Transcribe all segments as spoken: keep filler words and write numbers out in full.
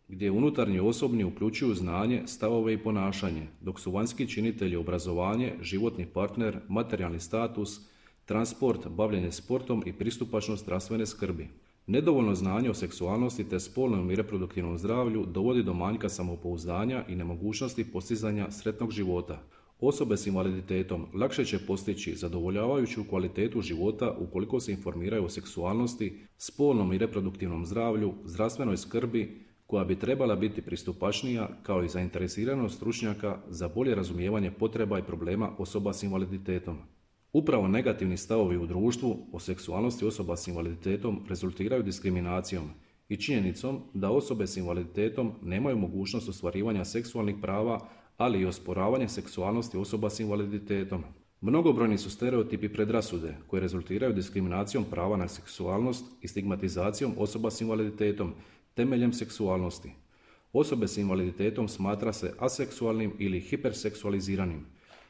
gdje unutarnji osobni uključuju znanje, stavove i ponašanje, dok su vanjski činitelji obrazovanje, životni partner, materijalni status, transport, bavljenje sportom i pristupačnost zdravstvene skrbi. Nedovoljno znanje o seksualnosti te spolnom i reproduktivnom zdravlju dovodi do manjka samopouzdanja i nemogućnosti postizanja sretnog života. Osobe s invaliditetom lakše će postići zadovoljavajuću kvalitetu života ukoliko se informiraju o seksualnosti, spolnom i reproduktivnom zdravlju, zdravstvenoj skrbi koja bi trebala biti pristupačnija, kao i zainteresiranost stručnjaka za bolje razumijevanje potreba i problema osoba s invaliditetom. Upravo negativni stavovi u društvu o seksualnosti osoba s invaliditetom rezultiraju diskriminacijom i činjenicom da osobe s invaliditetom nemaju mogućnost ostvarivanja seksualnih prava, ali i osporavanje seksualnosti osoba s invaliditetom. Mnogobrojni su stereotipi i predrasude koje rezultiraju diskriminacijom prava na seksualnost i stigmatizacijom osoba s invaliditetom temeljem seksualnosti. Osobe s invaliditetom smatra se aseksualnim ili hiperseksualiziranim.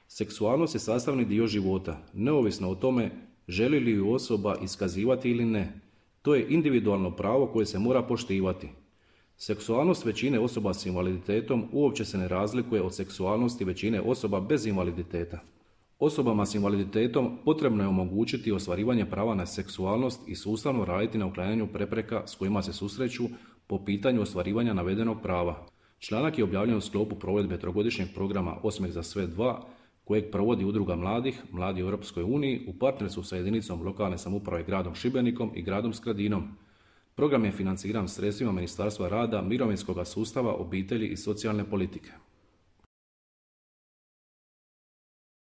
Seksualnost je sastavni dio života, neovisno o tome želi li ju osoba iskazivati ili ne. To je individualno pravo koje se mora poštivati. Seksualnost većine osoba s invaliditetom uopće se ne razlikuje od seksualnosti većine osoba bez invaliditeta. Osobama s invaliditetom potrebno je omogućiti ostvarivanje prava na seksualnost i sustavno raditi na uklanjanju prepreka s kojima se susreću po pitanju ostvarivanja navedenog prava. Članak je objavljen u sklopu provedbe trogodišnjeg programa Osmeh za sve dva, kojeg provodi Udruga mladih, Mladi u Europskoj uniji u partnerstvu sa jedinicom lokalne samouprave gradom Šibenikom i gradom Skradinom. Program je financiran sredstvima Ministarstva rada, mirovinskog sustava, obitelji i socijalne politike.